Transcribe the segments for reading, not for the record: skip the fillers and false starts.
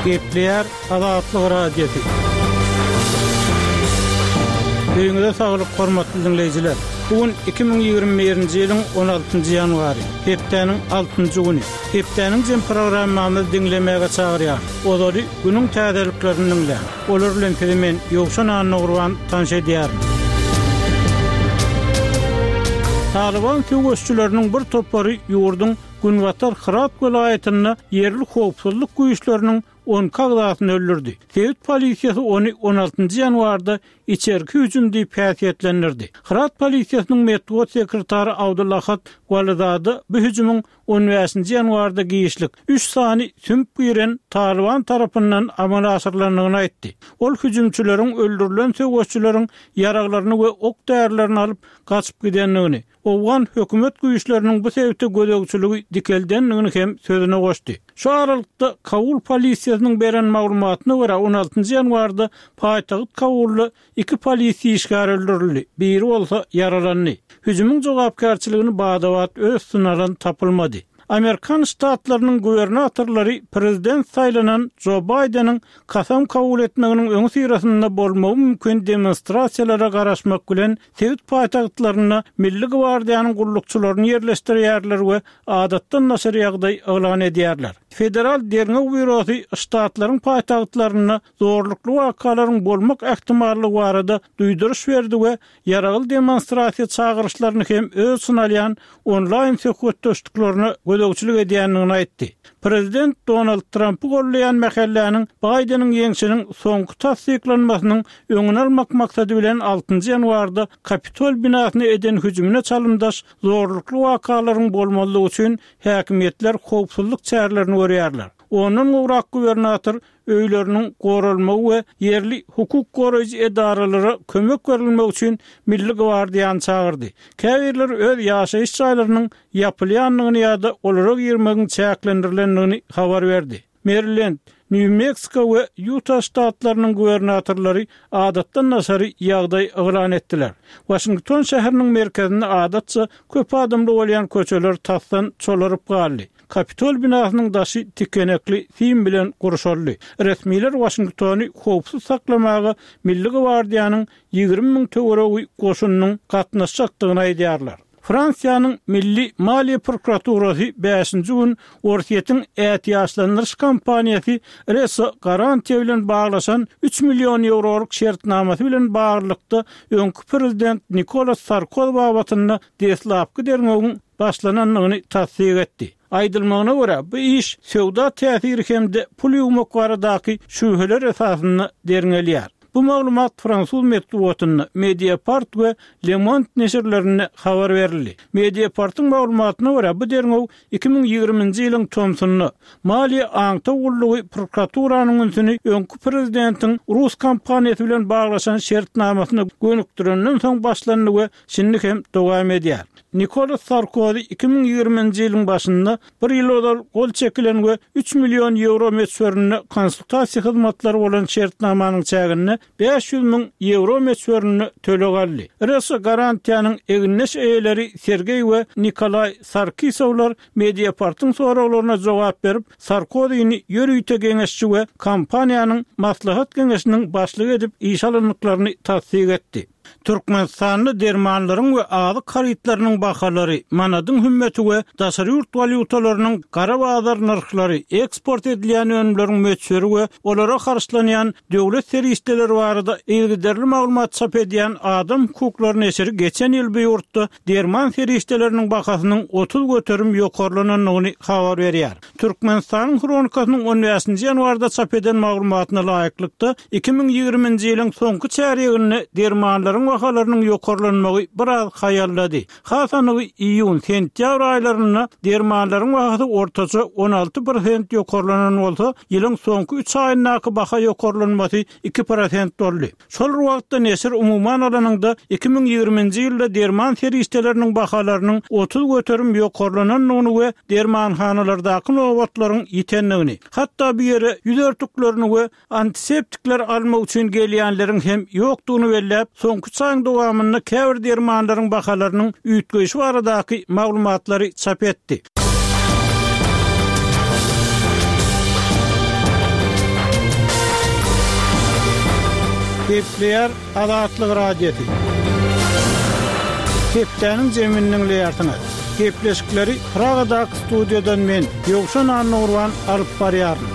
Gepleýär Azatlyk Radiosy. Öýüňize saglyk hormatly diňleýjiler. Bu gün 2021-nji ýylyň 16-njy ýanwary, hepdäniň altynjy güni. Hepdäniň jem programmamyzy diňlemäge çagyrýar. Ozaly günüň täzeliklerini diňläň. Olar bilen sizi men Ýowşan Annagurban tanyş edýärin. Talyban söweşçileriniň bir topary ýurduň günbatar Hyrat welaýatynda ýerli howpsuzlyk güýçleriniň 12 agzasyny öldürdi. Sebit polisiýasy ony on altynjy ýanwarda içerki hüjüm diýip häsiýetlendirdi. Hyrat polisiýasynyň metbugat sekretary Abdulahat Walizada bu hüjümiň on bäşinji ýanwarda giçlik üç sany sümüp giren Talyban tarapyndan amala aşyrylandygyny aýtdy. Ol hüjümçileriň öldürilen söweşçileriň ýaraglaryny we ok-därilerini alyp gaçyp gidendigini, owgan hökümet güýçleriniň bu sebite gözegçiligi dikeldendigini hem sözüne goşdy. Şu aralykda, Kabul polisiýasynyň beren maglumatyna görä, on altynjy ýanwarda paýtagt Kabulda Iki polisiýa işgäri öldürildi, biri bolsa ýaralandy. Hüjümiň jogapkärçiligini bada-bat öz üstüne alan tapylmady. Amerikan ştatlarynyň gubernatorlary prezident saýlanan Jo Baýdeniň kasam kabul etmeginiň öňüsyrasynda bolmagy mümkin demonstrasiýalara garaşmak bilen, sebit paýtagtlarynda Milli gwardiýanyň gullukçylaryny ýerleşdirýärler we adatdan daşary ýagdaý yglan edýärler. Federal derňew býurosy ştatlaryň paýtagtlarynda zorlukly wakalaryň bolmak ähtimallygy barada duýduryş berdi we ýaragly demonstrasiýa çagyryşlaryny hem öz içine alýan onlaýn söhbetdeşliklerine gözegçilik edýändigini aýtdy. Prezident Donald Trampy goldaýan mähelläniň Baýdeniň ýeňşiniň soňky tassyklanmasynyň öňüni almak maksady bilen altynjy ýanwarda Kapitol binasyna eden hüjümine çalymdaş zorlukly wakalaryň bolmazlygy üçin häkimiýetler howpsuzlyk çärelerini görýärler. Ondan gowrak gubernator öýleriniň goralmagy we ýerli hukuk goraýjy edaralara kömek berilmegi üçin Milli gwardiýany çagyrdy. Käbirleri öz ýaşaýyş jaýlarynyň ýapylýandygyny ýa-da olara girmegiň çäklendirilendigini habar berdi. Merilend, Nýu-Meksiko we Ýuta ştatlarynyň gubernatorlary adatdan daşary ýagdaý yglan etdiler. Waşington şäheriniň merkezinde adatça köp adamly bolýan köçeler tasdan çolaryp galdy. Kapitol binasynyň daşy tikenekli sim bilen gurşaldy. Resmiler Waşingtony howpsuz saklamaga Milli gwardiýanyň 20 müň töweregi goşunynyň gatnaşjakdygyny aýdýarlar. Fransiýanyň Milli maliýe prokuraturasy bäşinji gün Orsýetiň ätiýaçlandyryş kompaniýasy Reso Garantiýa bilen baglaşan üç million ýewrolyk şertnamasy bilen baglylykda öňki prezident Nikolas Sarkozy babatynda deslapky derňewiň başlanandygyny tassyk etdi. Aýdylmagyna görä, bu iş söwda täsiri hem-de pul ýuwmak baradaky şübheler esasynda derňelýär. Bu maglumat fransuz metbugatynda, Mediapart we Le Monde neşirlerinde habar berildi. Mediapartyň maglumatyna görä, bu derňew 2020-nji ýylyň tomsunda Maliýe aňtaw gullugy prokuraturanyň ünsüni öňki prezidentiň rus kompaniýasy bilen baglaşan şertnamasyna gönükdirenden soň başlandy we şindi hem dowam edýär. Nikolas Sarkozy 2020-nji ýylyň başynda bir ýyl ozal gol çekilen we üç million ýewro möçberinde konsultasiýa hyzmatlary bolan şertnamanyň çäginde 500 müň ýewro möçberinde töleg aldy. Reso Garantiýanyň egindeş eýeleri Sergeý we Nikolaý Sarkisowlar Mediapartyň soraglaryna jogap berip, Sarkozyny ýörite geňeşçi we kompaniýanyň maslahat geňeşiniň başlygy edip işe alandyklaryny tassyk etdi. Türkmenistanda dermanlaryň we azyk harytlarynyň bahalary, manadyň hümmeti we daşary ýurt walýutalarynyň gara bazar nyrhlary, eksport edilýän önümleriň möçberi we olara harçlanýan döwlet serişdeleri barada yzygiderli maglumat çap edýän Adam hukuklary neşiri geçen ýyl bu ýurtda derman serişdeleriniň bahasynyň 30% ýokarlanandygyny habar berýär. Türkmenistanyň Hronikasynyň on bäşinji ýanwarda çap eden maglumatyna laýyklykda, 2020-nji ýylyň soňky çärýeginde dermanlaryň bahalarynyň ýokarlanmagy biraz haýallady. Has anygy, iýun, sentýabr aýlarynda dermanlaryň bahasy ortaça 16 prosent ýokarlanan bolsa, ýylyň soňky üç aýyndaky baha ýokarlanmasy iki prosent boldy. Şol bir wagtda neşir umuman alanyňda 2020-nji ýylda derman serişdeleriniň bahalarynyň 30% ýokarlanandygyny we dermanhanalardaky nobatlaryň ýitendigini, hatda bu ýere ýüz örtüklerini we antiseptikleri almak üçin gelýänleriň hem ýokdugyny belläp, soňky üç aýyň dowamynda käbir dermanlaryň bahalarynyň üýtgeýşi baradaky maglumatlary çap etdi. Gepleýär Azatlyk Radiosy. Hepdäniň jemini diňleýärsiňiz. Gepleşikleri Pragadaky studiýadan men, Ýowşan Annagurban alyp barýaryn.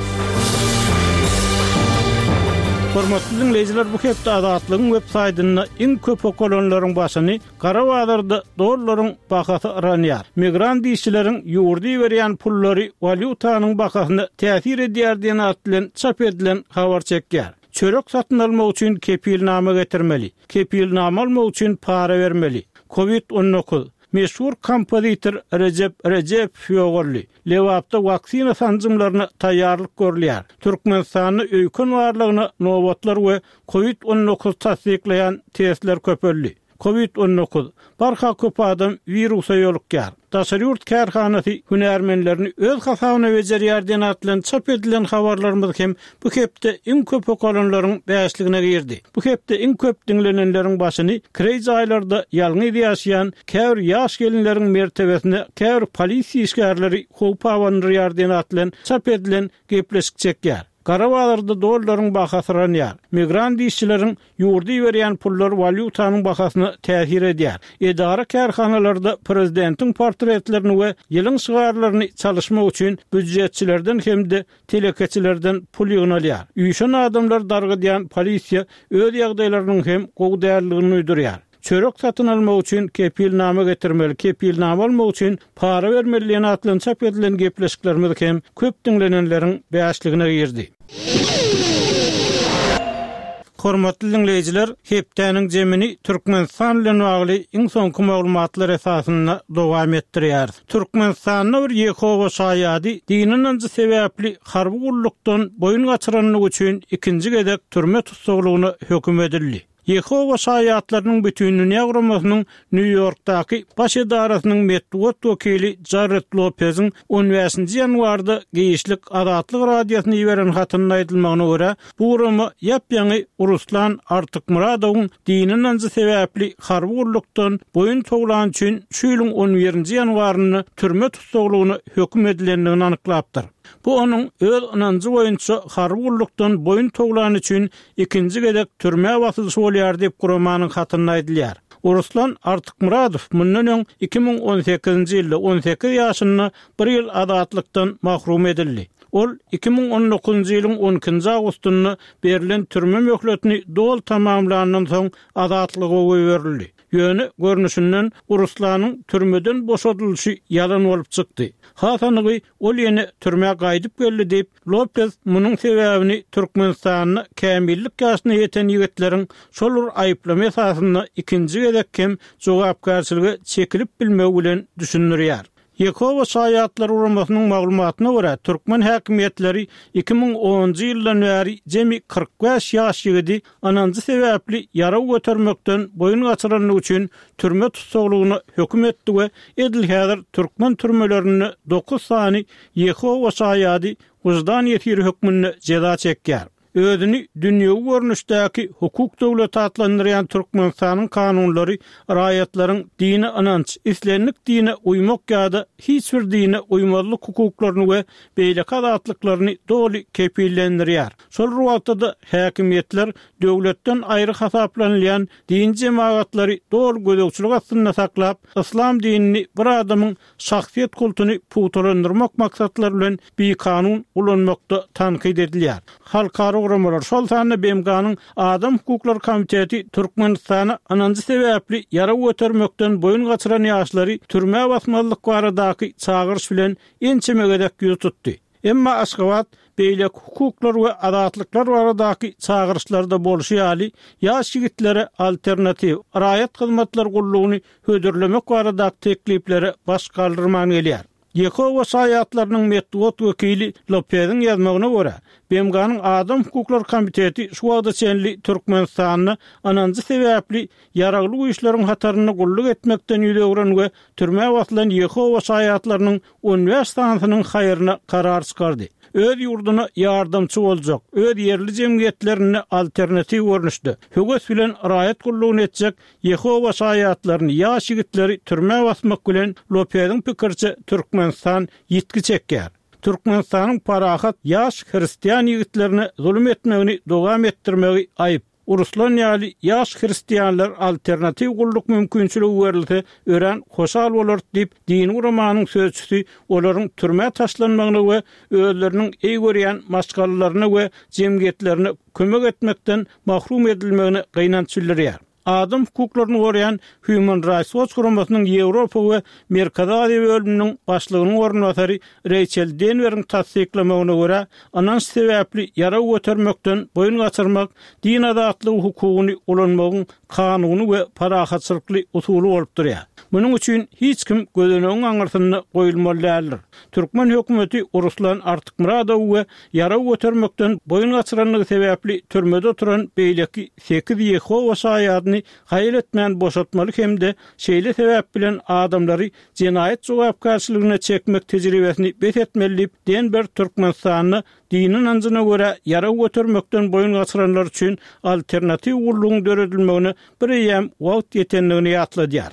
Hormatly diňleýjiler, bu hepde Azatlygyň web saýtynda iň köp okalanlaryň başyny Gara bazarda dollaryň bahasy yranýar. Migrant işçileriň ýurda iberýän pullary walýutanyň bahasyna täsir edýär diýen at bilen çap edilen habar çekýär. Çörek satyn almak üçin kepilnama getirmeli. Kepilnama almak üçin para bermeli. Covid 19. Meşhur kompozitor Rejep Rejepow ýogaldy. Lebapda waksina sanjymlaryna taýýarlyk görülýär. Türkmenistanda öýken barlagyna nobatlar we Covid 19 tassyklaýan testler köpeldi. Covid 19, barha köp adam wirusa ýolukýar. Daşary ýurt kärhanasy hünärmenlerini öz hasabyna bejerýär diýen at bilen çap edilen habarlarymyz hem bu hepde iň köp okalanlaryň bäşligine girdi. Bu hepde iň köp diňlenenleriň başyny kireý jaýlarda ýalňyz ýaşaýan käbir ýaş gelinleriň mertebesine käbir polisiýa işgärleri howp abandyrýar diýen at bilen çap edilen gepleşik çekýär. Gara bazarda dollaryň bahasy yranýar. Migrant işçileriň ýurda iberýän pullary walýutanyň bahasyna täsir edýär. Edara-kärhanalarda prezidentiň portretlerini we ýylyň şygarlaryny çalyşmak üçin býujetçilerden hem-de telekeçilerden pul ýygnalýar. Üýşen adamlary dargydýan polisiýa öz ýagdaýlarynyň hem gowy däldigini duýdurýar. Çörek satyn almak üçin kepilnama getirmeli, kepilnama almak üçin para bermeli diýen at bilen çap edilen gepleşiklerimiz hem köp diňlenenleriň bäşligine girdi. Hormatly diňleýjiler, hepdäniň jemini Türkmenistan bilen bagly iň soňky maglumatlar esasynda dowam etdirýäris. Türkmenistanda bir Ýehowa şaýady dini ynanjy sebäpli harby gullukdan boýun gaçyranlygy üçin ikinji gezek türme tussaglygyna höküm edildi. Ýehowa Şaýatlarynyň Bütindünýä guramasynyň Nýu-Ýorkdaky baş edarasynyň metbugat wekili Jarred Lopeziň on bäşinji ýanwarda giçlik Azatlyk Radiosyna iberen hatynda aýdylmagyna görä, bu gurama ýap-ýaňy Ruslan Artykmyradowyň dini ynanjy sebäpli harby gullukdan boýun towlany üçin şu ýylyň on birinji ýanwarynda türme tussaglygyna höküm edilendigini anyklapdyr. Bu onuň öz ynanjy boýunça harby gullukdan boýun towlany üçin ikinji gezek türmä basylyşy bolýar diýip, guramanyň hatynda aýdylýar. Ruslan Artykmyradow mundan öň 2018-nji ýylda 18 ýaşynda bir ýyl azatlykdan mahrum edildi. Ol 2019-njy ýylyň on ikinji awgustynda berlen türme möhletini doly tamamlandan soň azatlyga goýberildi. Ýöne, görnüşinden, Ruslanyň türmeden boşadylyşy ýalan bolup çykdy. Has anygy, ol ýene türmä gaýdyp geldi diýip, Lopez munuň sebäbini Türkmenistanda kämillik ýaşyna ýeten ýigitleriň şol bir aýyplama esasynda ikinji gezek hem jogapkärçilige çekilip bilmegi bilen düşündirýär. Ýehowa şaýatlary guramasynyň maglumatyna görä, türkmen häkimiýetleri 2010-njy ýyldan bäri jemi 45 ýaş ýigidi ynanjy sebäpli ýarag götermekden boýun gaçyranlygy üçin türme tussaglygyna höküm etdi we edil häzir türkmen türmelerinde dokuz sany Ýehowa şaýady wyždan ýesiri hökmünde jeza çekýär. Özüni dünýewi görnüşdäki hukuk döwleti atlandyrýan Türkmenistanyň kanunlary raýatlaryň dini ynanç, islendik dine uýmak ýa-da hiç bir dine uýmazlyk hukuklaryny we beýleki azatlyklaryny doly kepillendirýär. Şol bir wagtda-da häkimiýetler döwletden aýry hasaplanylýan dini jemagatlary doly gözegçilik astynda saklap, yslam dinini bir adamyň şahsyýet kultuny pugtalandyrmak maksatlary bilen bikanun ulanmakda tankyt edilýär. Halkara guramalar, şol sanda BMG-niň Adam hukuklary komiteti Türkmenistana ynanjy sebäpli ýarag götermekden boýun gaçyran ýaşlary türmä basmazlyk baradaky çagyryş bilen ençeme gezek ýüz tutdy. Emma Aşgabat beýleki hukuklar we azatlyklar baradaky çagyryşlarda bolşy ýaly, ýaş ýigitlere alternatiw raýat hyzmatlar gullugyny hödürlemek baradaky tekliplere baş galdyrman gelýär. Ýehowa şaýatlarynyň metbugat wekili Lopeziň ýazmagyna görä, BMG-niň Adam hukuklary komiteti şu wagta çenli Türkmenistanda ynanjy sebäpli ýaragly güýçleriň hatarynda gulluk etmekden ýüz öwren we türmä basylan Ýehowa şaýatlarynyň 15 sanysynyň haýryna karar çykardy. Öz ýurduna ýardamçy boljak, öz ýerli jemgyýetlerinde alternatiw görnüşde, höwes bilen raýat gullugyny etjek Ýehowa şaýatlaryny, ýaş ýigitleri türmä basmak bilen, Lopeziň pikiriçe, Türkmenistan ýitgi çekýär. Türkmenistanyň parahat ýaş hristian ýigitlerine zulum etmegini dowam etdirmegi aýyp. Ruslan ýaly ýaş hristianlar alternatiw gulluk mümkinçiligi berilse örän hoşal bolarys diýip, dini guramanyň sözçüsi olaryň türmä taşlanmagyna we özleriniň eý görýän maşgalalaryna we jemgyýetlerine kömek etmekden mahrum edilmegine gynanç bildirýär. Adam hukuklaryny goraýan Human Rights Watch guramasynyň Ýewropa we Merkezi Aziýa bölüminiň başlygynyň orunbasary Reýçel Denweriň tassyklamagyna görä, ynanç sebäpli ýarag götermekden boýun gaçyrmak din azatlygy hukugyny ulanmagyň kanuny we parahatçylykly usuly bolup durýar. Munuň üçin hiç kim gözenegiň aňyrsynda goýulmaly däldir. Türkmen hökümeti Ruslan Artykmyradowy we ýarag götermekden boýun gaçyrandygy sebäpli türmede oturan beýleki sekiz Ýehowa Şaýadyny haýal etmän boşatmaly hem-de şeýle sebäp bilen adamlary jenaýat jogapkärçiligine çekmek tejribesini bes etmeli diýip, Denber Türkmenistanda dini ynanjyna görä ýarag götermekden boýun gaçyranlar üçin alternatiw gullugyň döredilmegine bireýýäm wagt ýetendigini ýatladýar.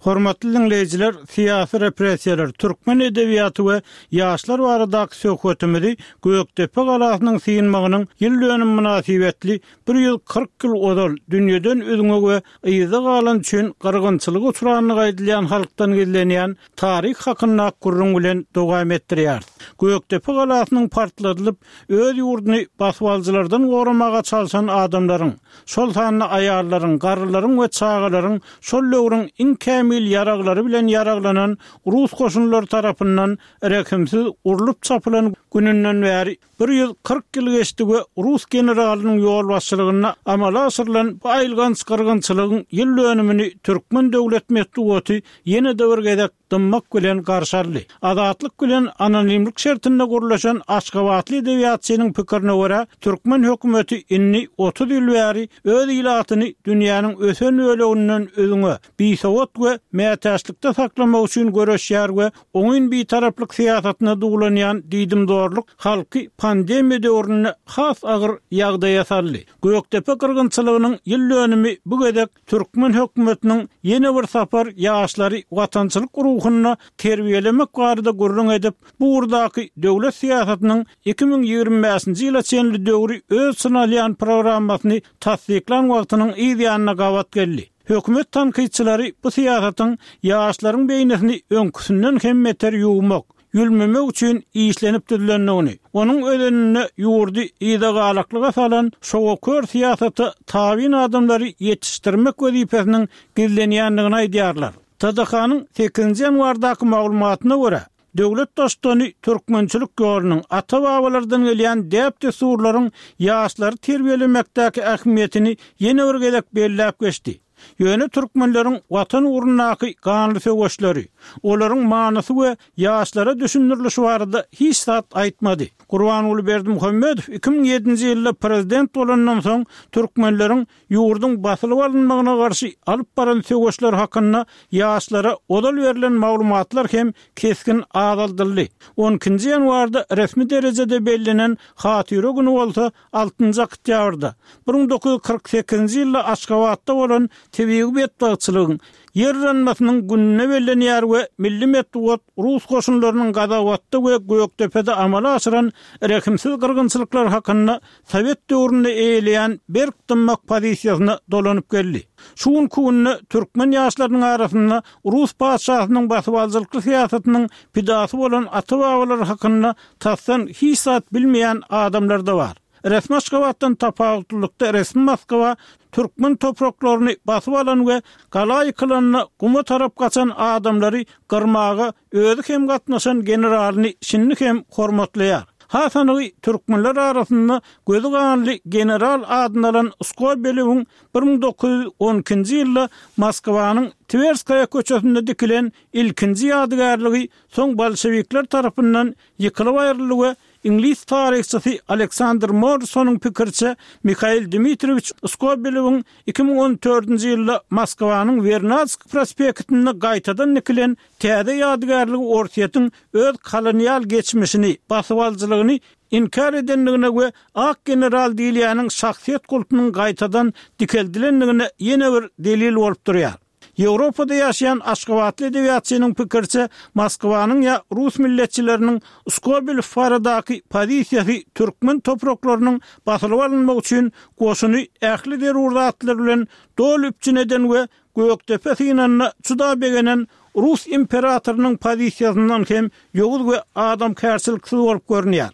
Hormatly diňleýjiler, syýasy repressiýalar, türkmen edebiýaty we ýaşlar baradaky söhbetimizi Gökdepe galasynyň synmagynyň ýyl dönümi mynasybetli 140 ýyl ozal dünýeden üzňe we yzda galan üçin gyrgynçylyga uçrandygy aýdylýan halkdan gizlenýän taryh hakyndaky gürrüň bilen dowam etdirýäris. Gökdepe galasynyň partladylyp, öz ýurduny basybalyjylardan goramaga çalşan adamlaryň, şol sanda aýallaryň, garrylaryň we çagalaryň şol döwrüň iň kämil ýaraglary bilen ýaraglanan rus goşunlary tarapyndan rehimsiz urlup-çapylan gününden bäri 140 ýyl geçdi we rus generalynyň ýolbaşçylygynda amala aşyrylan bu aýylganç gyrgynçylygyň ýyl dönümini türkmen döwlet metbugaty ýene-de bir gezek dymmak bilen garşy aldy. Azatlyk bilen anonimlik şertinde gürleşen aşgabatly edebiýatçynyň pikirine görä, türkmen hökümeti indi 30 ýyl bäri öz ilatyny dünýäniň ösen böleginden üzňe, bisowat we mätäçlikde saklamak üçin göreşýär we oňyn bitaraplyk syýasatyna duwlanýan diýdimzorluk halky pandemiýa döwründe has agyr ýagdaýa saldy. Gökdepe gyrgynçylygynyň ýyl dönümi bu gezek türkmen hökümetiniň ýene bir sapar ýaşlary watançylyk ruhunda terbiýelemek barada gürrüň edip, bu ugurdaky döwlet syýasatynyň 2025-nji ýyla çenli döwri öz içine alýan programmasyny tassyklan wagtynyň yz ýanyna gabat geldi. Hökümet tankytçylary bu syýasatyň ýaşlaryň beýnisini öňküsinden hem beter ýuwmak, ýülmemek üçin işlenip düzülendigini, onuň özeninde ýurdy yzagalaklyga salan şowakör syýasata tabyn adamlary ýetişdirmek wezipesiniň gizlenýändigini aýdýarlar. TDH-nyň sekizinji ýanwardaky maglumatyna görä, döwlet Baştutany türkmençilik ýolunyň, ata-babalardan gelýän däp-dessurlaryň ýaşlary terbiýelemekdäki ähmiýetini ýene bir gezek belläp geçdi. Ýöne türkmenleriň Watan ugrundaky ganly söweşleri, olaryň manysy we ýaşlara düşündirilişi barada hiç zat aýtmady. Gurbanguly Berdimuhamedow 2007-nji ýylda prezident bolandan soň türkmenleriň ýurduň basylyp alynmagyna garşy alyp baran söweşleri hakynda ýaşlara ozal berlen maglumatlar hem kesgin azaldyldy. On ikinji ýanwarda resmi derejede bellenen Hatyra güni bolsa Altynjy oktýabrda, 1948-nji ýylda Aşgabatda bolan tebigy betbagtçylygyň, ýer yranmasynyň gününe bellenýär we milli metbugat rus goşunlarynyň Gazawatda we Gökdepede amala aşyran rehimsiz gyrgynçylyklary hakynda sowet döwründe eýeleýän berk dymmak pozisiýasyna dolanyp geldi. Şu günki günde türkmen ýaşlarynyň arasynda rus patyşasynyň basybalyjylykly syýasatynyň pidasy bolan ata-babalary hakynda tasdan hiç zat bilmeýän adamlar-da bar. Resmi Aşgabatdan tapawutlylykda resmi Moskwa türkmen topraklaryny basyp alan we gala ýykylanda guma tarap gaçan adamlary gyrmaga özi hem gatnaşan generalyny şindi hem hormatlaýar. Has anygy türkmenler arasynda gözi ganly general adyny alan Skobelewiň 1912-nji ýylda Moskwanyň Twerskaýa köçesinde dikilen ilkinji ýadygärligi soň bolşewikler tarapyndan ýykylyp aýryldy we iňlis taryhçysy Aleksandr Morrisonyň pikiriçe, Mihail Dmitriýewiç Skobelewiň 2014-nji ýylda Moskwanyň Wernadsk prospektinde gaýtadan dikilen täze ýadygärligi Orsýetiň öz kolonial geçmişini, basybalyjylygyny inkär edendigine we ak general diýilýäniň şahsyýet kultunyň gaýtadan dikeldilendigine ýene bir delil bolup durýar. Ýewropada ýaşaýan aşgabatly edebiýatçynyň pikiriçe, Moskwanyň ýa rus milletçileriniň Skobelew baradaky pozisiýasy türkmen topraklarynyň basylyp alynmagy üçin goşuny ähli zerur zatlar bilen doly üpjün eden we Gökdepe synanyna juda begenen rus imperatorynyň pozisiýasyndan hem ýowuz we adamkärçiliksiz bolup görünýär.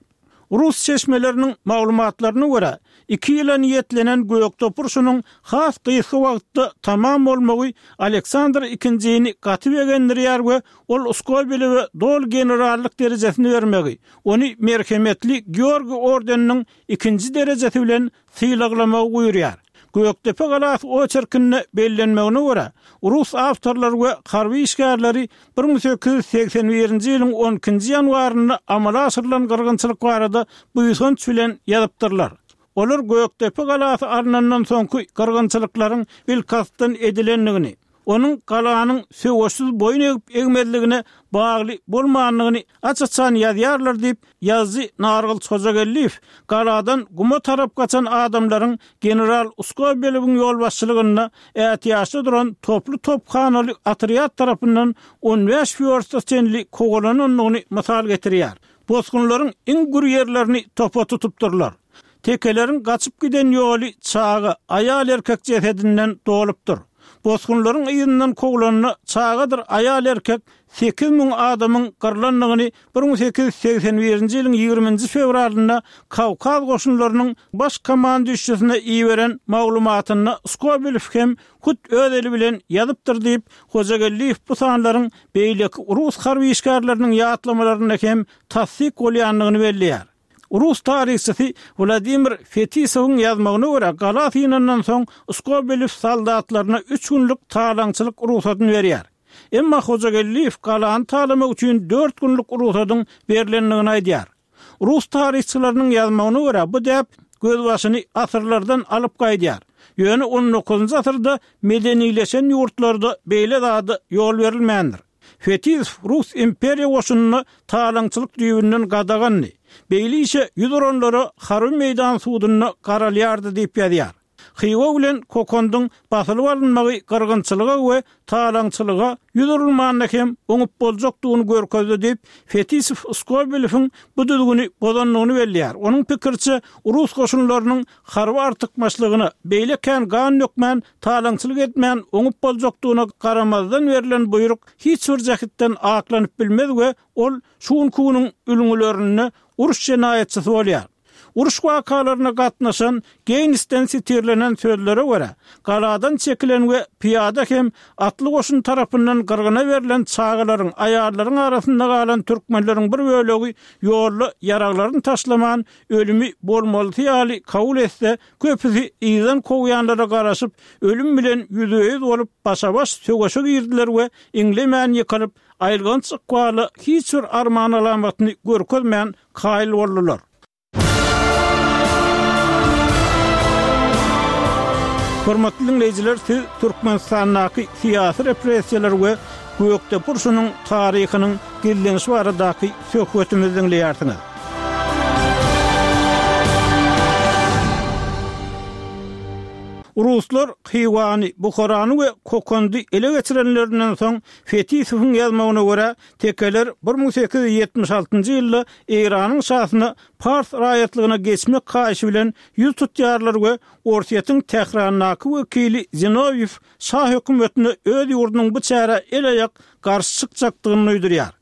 Rus çeşmeleriniň maglumatlaryna görä, iki ýyla niýetlenen Gökdepe urşunyň has gysga wagtda tamam bolmagy Aleksandr II-ni gaty begendirýär we ol Skobelewe doly generallyk derejesini bermegi, ony Merhemetli Georgiý ordeniniň ikinji derejesi bilen sylaglamagy buýurýar. Gökdepe galasy oçerkinde bellenmegine görä, rus awtorlary we harby işgärleri 1881-nji ýylyň on ikinji ýanwarynda amala aşyrylan gyrgynçylyk barada buýsanç bilen ýazypdyrlar. Olar Gökdepe galasy alnandan soňky gyrgynçylyklaryň bilkastdan edilendigini, onuň galanyň söweşsiz boýun egip-egmezligine bagly bolmandygyny aç-açan ýazýarlar diýip, ýazyjy Nargylyç Hojageldiýew galadan guma tarap gaçan adamlaryň general Skobelewiň ýolbaşçylygynda ätiýaçda duran toply tophanaly otrýad tarapyndan on bäş wýorsta çenli kowalanandygyny mysal getirýär. Bosgunlaryň iň gür ýerlerini topa tutupdyrlar. Tekeleriň gaçyp giden ýoly çaga, aýal-erkek jesedinden dolupdyr. Bosgunlaryň yzyndan kowlanda çagadyr aýal-erkek 8000 adamyň gyrlandygyny 1881-nji ýylyň ýigriminji fewralynda Kawkaz goşunlarynyň baş komandüşçisine iberen maglumatynda Skobelew hem hut öz eli bilen ýazypdyr diýip, Hojageldiýew bu sanlaryň beýleki rus harby işgärleriniň ýatlamalarynda hem tassyk bolýandygyny belleýär. Rus taryhçysy Wladimir Fetisowyň ýazmagyna görä, gala synandan soň Skobelew soldatlaryna üç günlük talaňçylyk rugsadyny berýär. Emma Hojageldiýew galany talamak üçin dört günlük rugsadyň berlendigini aýdýar. Rus taryhçylarynyň ýazmagyna görä, bu däp gözbaşyny asyrlardan alyp gaýdýar. Ýöne on dokuzynjy asyrda medenileşen ýurtlarda beýle zada ýol berilmändir. Fetisow rus imperiýa goşunynda talaňçylyk düýbünden gadagandy. Beýle işe ýüz uranlara harby meýdan sudunda garalýardy diýip ýazýar. Hywa bilen Kokondyň basylyp alynmagy gyrgynçylyga we talaňçylyga ýüz urulmanda hem oňup boljakdygyny görkezdi diýip, Fetisow Skobelewiň bu düzgüni bozandygyny belleýär. Onuň pikiriçe, rus goşunlarynyň harby artykmaçlygyna beýle kän gan dökmän, talaňçylyk etmän oňup boljakdygyna garamazdan berlen buýruk hiç bir jähtden aklanyp bilmez we ol şu günki günüň ülňülerinde uruş jenaýatçysy bolýar. Uruş wakalaryna gatnaşan Geýnsden sitirlenen sözlere görä, galadan çekilen we pyýada hem atly goşun tarapyndan gyrgyna berlen çagalaryň, aýallaryň arasynda galan türkmenleriň bir bölegi ýolda ýaraglaryny taşlaman, ölümi bolmalysy ýaly kabul etse, köpüsi yzdan kowýanlara garaşyp, ölüm bilen ýüzbe-ýüz bolup, başa-baş söweşe girdiler we iňlemän ýykylyp, aýylganç ykbala hiç bir arman alamatyny görkezmän kaýyl boldular. Hormatly diňleýjiler, siz Türkmenistandaky syýasy repressiýalar we Gökdepe urşunyň taryhynyň gizlenişi baradaky söhbetimizi diňleýärsiňiz. Ruslar Hywany, Buharany we Kokandy ele geçirenlerinden soň, Fetisowyň ýazmagyna görä, tekeler 1876-njy ýylda Eýranyň şasyna pars raýatlygyna geçmek haýyşy bilen ýüz tutýarlar we Orsýetiň Tährandaky wekili Zinowýew şa hökümetine öz ýurdunyň bu çärä el-aýak garşy çykjakdygyny duýdurýar.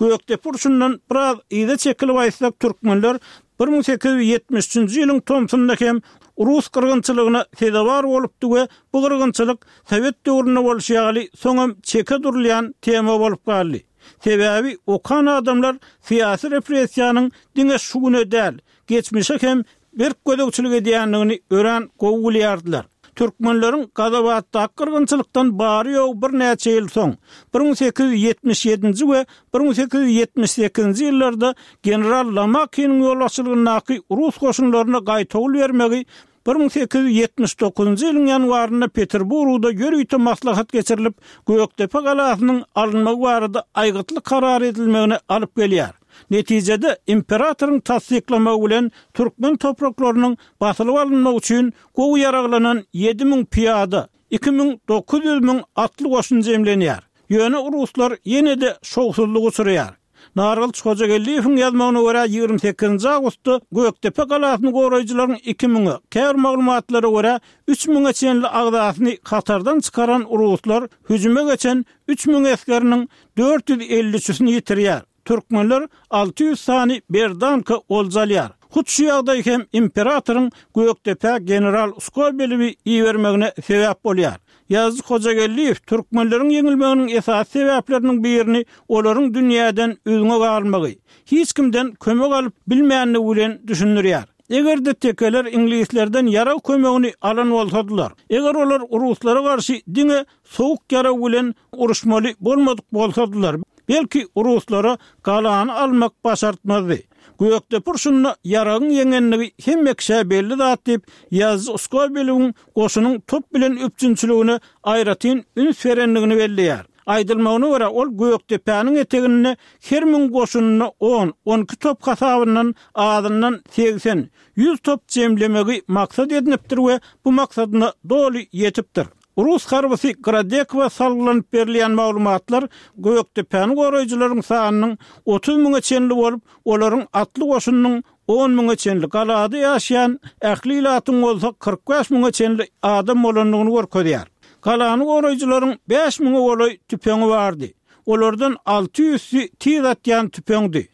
Gökdepe urşundan biraz yza çekilip aýtsak, türkmenler 1873-nji ýylyň tomsunda hem rus gyrgynçylygyna sezewar bolupdy we bu gyrgynçylyk sowet döwründe bolşy ýaly soňam çeke durulýan tema bolup galdy. Sebäbi okan adamlar syýasy repressiýanyň diňe şu güne däl, geçmişe hem berk gözegçilik edýändigini örän gowy bilýärdiler. Türkmenleriň Gazabatdaky gyrgynçylykdan bary-ýogy birnäçe ýyl soň, 1877-nji we 1878-nji ýyllarda general Lomakiniň ýolbaşçylygyndaky rus goşunlaryna gaýtawul bermegi 1879-njy ýylyň ýanwarynda Peterburgda ýörite maslahat geçirilip, Gökdepe galasynyň alynmagy barada aýgytly karar edilmegine alyp gelýär. Netijede, imperatoryň tassyklamagy bilen türkmen topraklarynyň basylyp alynmagy üçin gowy ýaraglanan 7000 pyýada, 2900 müň atly goşun jemlenýär. Ýöne ruslar ýene-de şowsuzlyga uçraýar. Nargylyç Hojageldiýewiň ýazmagyna görä, 28-nji awgustda Gökdepe galasyny goraýjylaryň iki müňe, käbir maglumatlara görä, üç müňe çenli agzasyny hatardan çykaran ruslar hüjüme geçen 3000 esgeriniň 453-sini ýitirýär. Türkmenler 600 sany berdanka olja alýar. Hut şu ýagdaý hem imperatoryň Gökdepä general Skobelewi ibermegine sebäp bolýar. Ýazyjy Hojageldiýew türkmenleriň ýeňilmeginiň esasy sebäpleriniň birini olaryň dünýäden üzňe galmagy, hiç kimden kömek alyp bilmänligi bilen düşündirýär. Eger-de tekeler iňlislerden ýarag kömegini alan bolsadylar, eger olar ruslara garşy diňe sowuk ýarag bilen uruşmaly bolmadyk bolsadylar, belki ruslara galany almak başartmazdy. Gökdepe urşunda ýaragyň ýeňenligi hemme kişä belli zat diýip, ýazyjy Skobelewiň goşunyň top bilen üpjünçiligine aýratyn üns berendigini belleýär. Aýdylmagyna görä, ol Gökdepäniň eteginde her müň goşunyna on, on iki top hasabyndan azyndan 80, 100 top jemlemegi maksat edinipdir we bu maksadyna doly ýetipdir. Rus harbysy Gradekowa salgylanyp berilýän maglumatlar Gökdepäni goraýjylaryň sanynyň 30 müňe çenli bolup, olaryň atly goşunynyň on müňe çenli, galada ýaşaýan ähli ilatyň bolsa 45 müňe çenli adam bolandygyny görkezýär. Galany goraýjylaryň bäş müňe golaý tüpeňi bardy. Olardan alty ýüzsi tiz atýan tüpeňdi.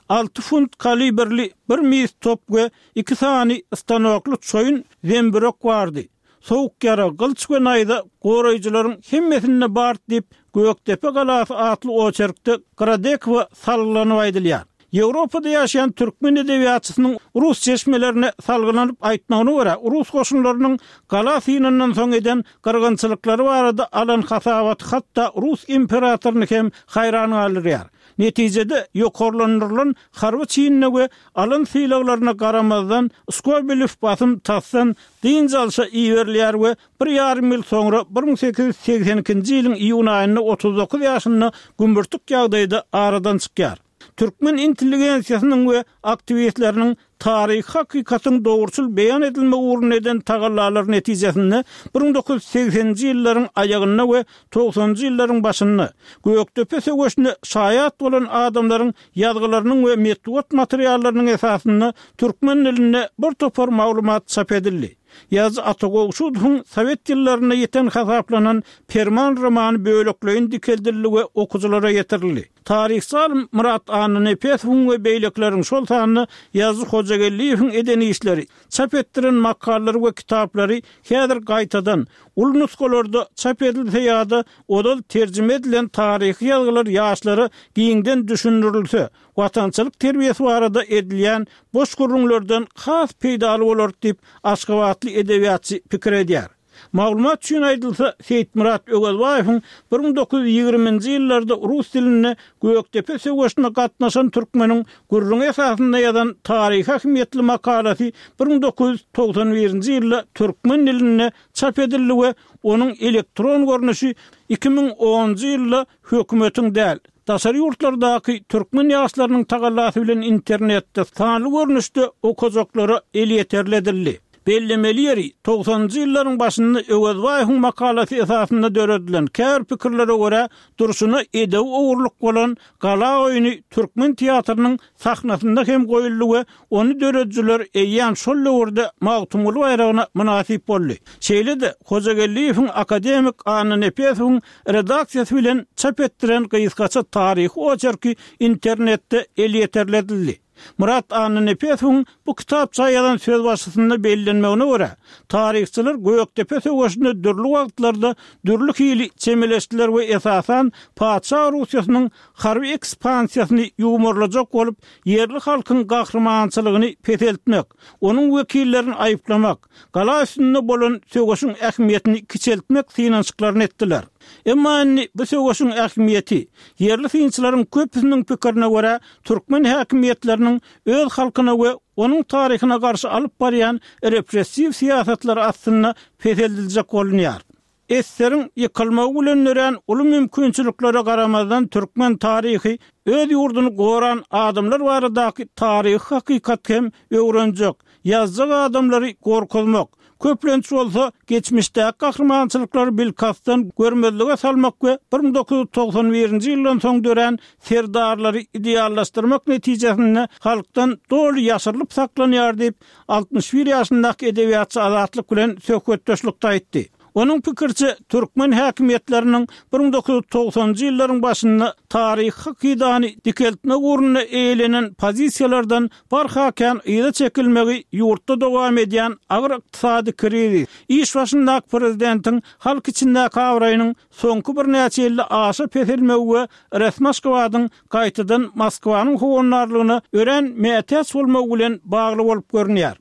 Alty funt kalibrli bir mis top we iki sany stanokly çoýun zembürek bardy. Sowuk ýarag, gylyç we naýza goraýjylaryň hemmesinde bar diýip, Gökdepe galasy atly oçerkde Gradekowa salgylanyp aýdylýar. Ýewropada ýaşaýan türkmen edebiýatçysynyň rus çeşmelerine salgylanyp aýtmagyna görä, rus goşunlarynyň gala synyndan soň eden gyrgynçylyklary barada alan hasabaty hatda rus imperatoryny hem haýran galdyrýar. Netijede, ýokarlandyrylan harby çinine we alan sylaglaryna garamazdan, Skobelew basym tasdan dynç alşa iberilýär we bir ýarym ýyl soňra, 1882-nji ýylyň iýun aýynda 39 ýaşynda gümürtik ýagdaýda aradan çykýar. Türkmen intelligensiýasynyň we aktiwistleriniň taryhy hakykatyň dogruçyl beýan edilmegi ugrunda eden tagallalary netijesinde 1980-nji ýyllaryň aýagynda we togsanynjy ýyllaryň başynda Gökdepe söweşine şaýat bolan adamlaryň ýazgylarynyň we metbugat materiallarynyň esasynda türkmen dilinde bir topar maglumat çap edildi. Ýazyjy Ata Gowşudowyň sowet ýyllarynda ýiten hasaplanan Perman romany bölekleýin dikeldildi we okyjylara ýetirildi. Taryhçy alym Myrat Annanepesowyň we beýlekileriň, şol sanda Ýazyjy Hojageldiýewiň eden işleri, çap etdiren makalalary we kitaplary häzir gaýtadan, uly nusgalarda çap edilse ýa-da ozal terjime edilen taryhy ýazgylar ýaşlara giňden düşündirilse, watançylyk terbiýesi barada edilýän boş gürrüňlerden has peýdaly bolar diýip, aşgabatly edebiýatçy pikir edýär. Maglumat üçin aýdylsa, Seýitmyrat Öwezbaýewiň 1920-nji ýyllarda rus dilinde Gökdepe söweşine gatnaşan türkmeniň gürrüňi esasynda ýazan taryhy ähmiýetli makalasy 1991-nji ýylda türkmen dilinde çap edildi we onuň elektron görnüşi 2010-njy ýylda hökümetiň däl, Daşary ýurtlardaky türkmen ýaşlarynyň tagallasy bilen internetde sanly görnüşde okajaklara elýeterli edildi. Bellemeli ýeri, togsanynjy ýyllaryň başynda Öwezbaýewiň makalasy esasynda döredilen, käbir pikirlere görä, durşuna edebi ogurlyk bolan Gala oýny türkmen teatrynyň sahnasynda hem goýuldy we ony döredijiler eýýäm şol döwürde Magtymguly baýragyna mynasyp boldy. Şeýle-de, Hojageldiýewiň akademik Anna Nepesowyň redaksiýasy bilen çap etdiren gysgaça taryhy oçerki internetde elýeterli edildi. Myrat Annanepesowyň bu kitapça ýazan sözbaşysynda bellenmegine görä, taryhçylar Gökdepe söweşine dürli wagtlarda dürli hili çemeleşdiler we esasan patyşa Russiýasynyň harby ekspansiýasyny ýuwmarlajak bolup, ýerli halkyň gahrymançylygyny peseltmek, onuň wekillerini aýyplamak, gala üstünde bolan söweşiň ähmiýetini kiçeltmek synanyşyklaryny etdiler. Emma indi bu söweşiň ähmiýeti, ýerli synçylaryň köpüsiniň pikirine görä, türkmen häkimiýetleriniň öz halkyna we onuň taryhyna garşy alyp barýan repressiw syýasatlary astynda peseldiljek bolunýar. Eseriň ýykylmagy bilen dörän uly mümkinçiliklere garamazdan türkmen taryhy öz ýurduny goran adamlar baradaky taryhy hakykaty hem öwrenjek, ýazjak adamlary gorkuzmak, Köplenç bolsa, geçmişdäki gahrymançylyklary bilkastdan görmezlige salmak we 1991-nji ýyldan soň dörän serdarlary ideallaşdyrmak netijesinde halkdan doly ýaşyrylyp saklanýar diýip, 61 ýaşyndaky edebiýatçy Azatlyk bilen söhbetdeşlikde aýtdy. Onuň pikiriçe, türkmen häkimiýetleriniň 1990-njy ýyllaryň başynda taryhy hakydany dikeltmek ugrunda eýelenen pozisiýalardan barha kän yza çekilmegi ýurtda dowam edýän agyr ykdysady krizis, iş başyndaky prezidentiň halk içindäki abraýynyň soňky birnäçe ýylda aşa peselmegi we resmi Aşgabadyň gaýtadan Moskwanyň howandarlygyna örän mätäç bolmagy bilen bagly bolup görünýär.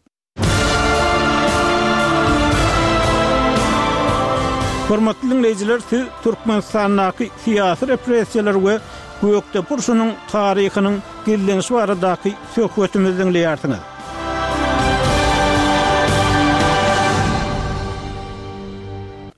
Hormatly diňleýjiler, siz Türkmenistandaky syýasy repressiýalar we Gökdepe urşunyň taryhynyň gizlenişi baradaky söhbetimizi diňleýärsiňiz.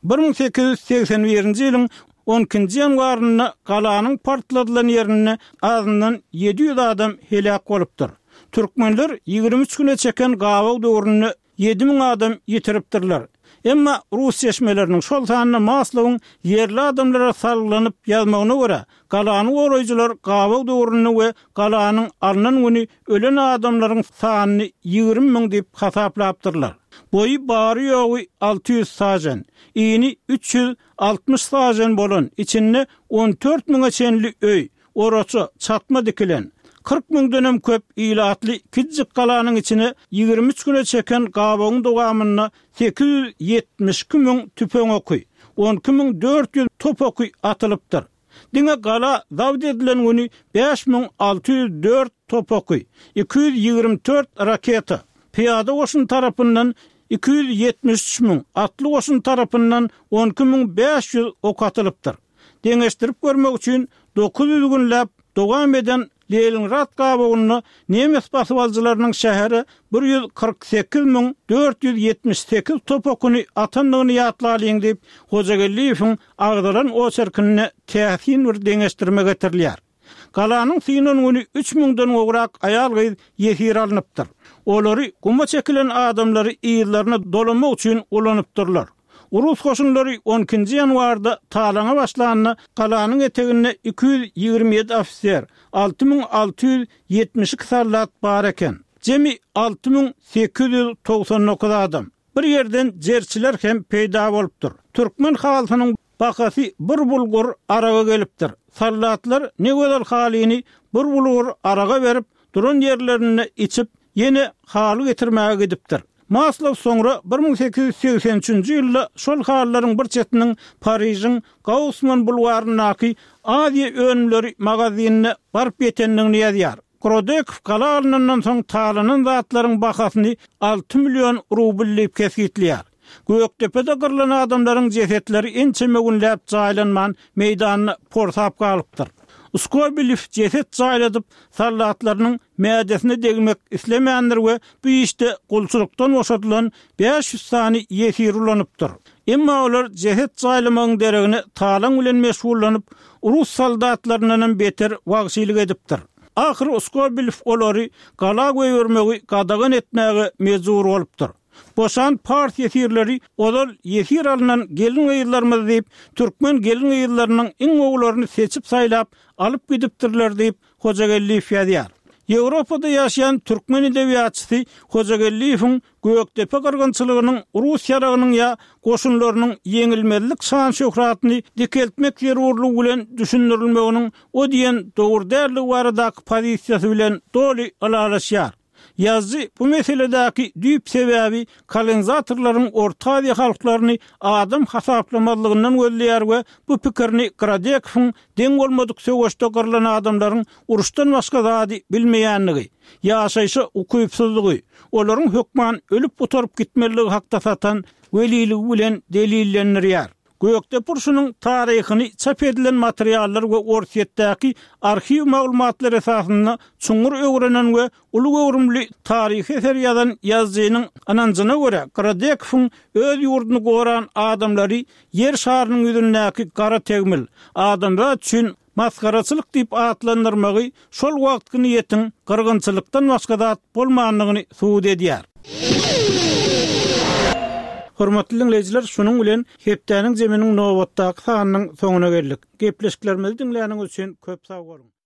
1881-nji ýylyň on ikinji ýanwarynda galanyň partladylan ýerinde azyndan 700 adam heläk bolupdyr. Türkmenler 23 güne çeken gabaw döwründe 7000 adam ýitiripdirler. Emma rus çeşmeleriniň, şol sanda Maslowyň ýerli adamlara salgylanyp ýazmagyna görä, galany goraýjylar gabaw döwründe we galanyň alnan güni ölen adamlaryň sanyny 20 müň diýip hasaplapdyrlar. Boýy bary-ýogy 600 sažen, ini 360 sažen bolan, içinde 14 müňe çenli öý, Oraça, çatma dikilen, 40 müňdenem köp ilatly kiçijik galanyň içine 23 güne çeken gabawyň dowamynda 872 müň tüpeň oky, 12 müň 400 top oky atylypdyr. Diňe gala zabt edilen güni 5604 top oky, 224 raketa, pyýada goşun tarapyndan 273 müň, atly goşun tarapyndan 12 müň 500 ok atylypdyr. Deňeşdirip görmek üçin 900 günläp dowam eden Leningrad gabawynda nemes basybalyjylarynyň şähere 148 müň 478 top okuny atandygyny ýatlalyň diýip, Hojageldiýewiň agzalan oçerkinde täsin bir deňeşdirme getirilýär. Galanyň synan güni üç müňden gowrak aýal-gyz ýesir alnypdyr. Olary guma çekilen adamlary yzlaryna dolamak üçin ulanypdyrlar. Rus goşunlary on ikinji ýanwarda talaňa başlanda galanyň eteginde 227 ofiser, 6672 soldat bar eken. Jemi 6899 adam. Bir ýerden jerçiler hem peýda bolupdyr. Türkmen halysynyň bahasy bir bulgur araga gelipdir. Soldatlar ne gözel halyny bir bulgur araga berip, duran ýerlerinde içip, ýene haly getirmäge gidipdir. Maslow soňra 1883-nji ýylda şol halylaryň bir çetiniň Parižiň Gausman bulwaryndaky Aziýa önümleri magazinine baryp ýetendigini ýazýar. Grodekow gala alnandan soň talanan zatlaryň bahasyny alty million rubl diýip kesgitleýär. Gökdepede gyrlan adamlaryň jesetleri ençeme günläp jaýlanman, meýdanda porsap galypdyr. Skobelew jeset jaýladyp, soldatlarynyň mädesine degmek islemändir we bu işde gulçulykdan boşadylan 500 sany ýesiri ulanypdyr. Emma olar jeset jaýlamagyň deregine talaň bilen meşgullanyp, rus soldatlaryndanam beter wagşylyk edipdir. Ahyry Skobelew olary gala goýbermegi gadagan etmäge mejbur bolupdyr. Boşan pars ýesirleri ozal ýesir alnan gelin-gyzlarymyz diýip, türkmen gelin-gyzlarynyň iň gowularyny seçip-saýlap alyp gidipdirler diýip, Hojageldiýew ýazýar. Ýewropada ýaşaýan türkmen edebiýatçysy Hojageldiýewiň Gökdepe gyrgynçylygynyň rus ýaragynyň ýa goşunlarynyň ýeňilmezlik şan-şöhratyny dikeltmek zerurlygy bilen düşündirilmeginiň o diýen dogry däldigi baradaky pozisiýasy bilen doly ylalaşýar. Ýazyjy bu meseledäki düýp sebäbi kolonizatorlaryň Orta Aziýa halklaryny adam hasaplamazlygyndan gözleýär we bu pikirini Grodekowyň deň bolmadyk söweşde gyrlan adamlaryň uruşdan başga zady bilmeýändigi, ýaşaýşa ukypsyzlygy, olaryň hökman ölüp gutaryp gitmelidigi hakda satan weliligi bilen delillendirýär. Gökdepe urşunyň taryhyny çap edilen materiallar we Orsýetdäki arhiw maglumatlary esasynda çuňňur öwrenen we uly göwrümli taryhy eser ýazan ýazyjynyň ynanjyna görä, Grodekowyň öz ýurduny goran adamlary Ýer şarynyň ýüzündäki gara tegmil, adamzat üçin masgaraçylyk diýip atlandyrmagy şol wagtky niýetiň gyrgynçylykdan başga zat bolmandygyny subut edýär. Hormatly diňleýjiler, şunuň bilen hepdäniň zeminiň nobatdaky sanynyň soňuna geldik. Gepleşiklerimizi diňläniňiz üçin köp sag boluň!